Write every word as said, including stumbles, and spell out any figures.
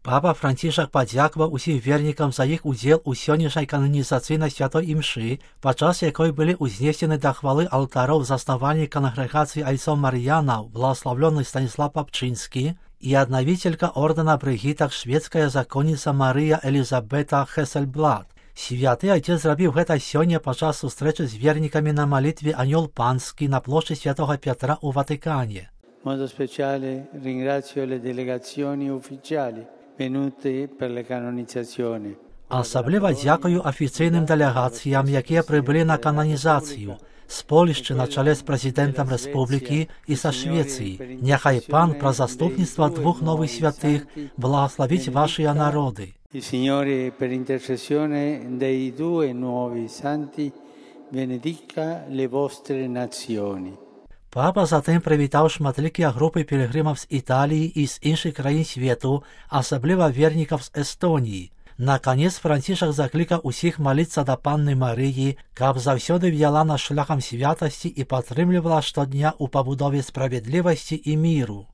Папа Францішак падзякував усім вернікам за іх удзел у сённяшняй кананізацыйнай святой імшы, падчас якой былі ўзнесены да хвалы алтароў заснавальнік кангрэгацыі айцоў Мар'янаў, благословленный Станіслав Папчынскі, і аднавителька ордэна Брыгітак шведская законніца Марыя Элізабета Хесельблад. Святы айцец зрабіў гэта сёння падчас сустрэчы з вернікамі на малітве Анёл Панскі на плошчы Святога Пятра ў Ватыкане. In modo speciale ringrazio le delegazioni ufficiali venute per la canonizzazione. Асабліва дзякую афіцыйным дэлегацыям, якія прыбылі на кананізацыю, з Польшчы на чале з прэзідэнтам рэспублікі і са Швецыі. Няхай пан пра заступніцтва двух новых святых благословіць вашыя народы. Il Signore, per intercessione dei due nuovi santi, benedica le vostre nazioni. Папа затым прывітаў шматлікія групы пілігрымаў з Італіі і з іншых краін свету, асабліва вернікаў з Эстоніі. Наканец Францішак заклікаў усіх маліцца да Панны Марыі, каб заўсёды вяла нас шляхам святасці і падтрымлівала штодня ў пабудове справядлівасці і міру.